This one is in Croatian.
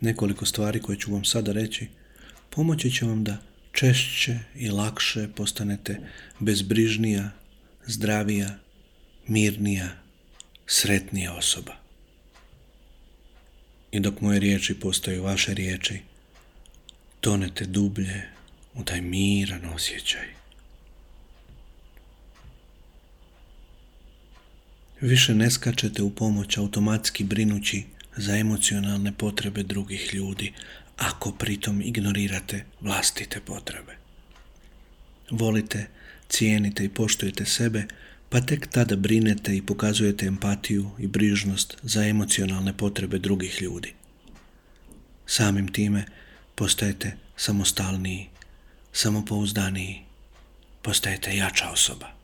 Nekoliko stvari koje ću vam sada reći pomoći će vam da češće i lakše postanete bezbrižnija, zdravija, mirnija, sretnija osoba. I dok moje riječi postaju vaše riječi, tonete dublje u taj miran osjećaj. Više ne skačete u pomoć automatski brinući za emocionalne potrebe drugih ljudi, ako pritom ignorirate vlastite potrebe. Volite, cijenite i poštujete sebe, pa tek tada brinete i pokazujete empatiju i brižnost za emocionalne potrebe drugih ljudi. Samim time postajete samostalniji, samopouzdaniji, postajete jača osoba.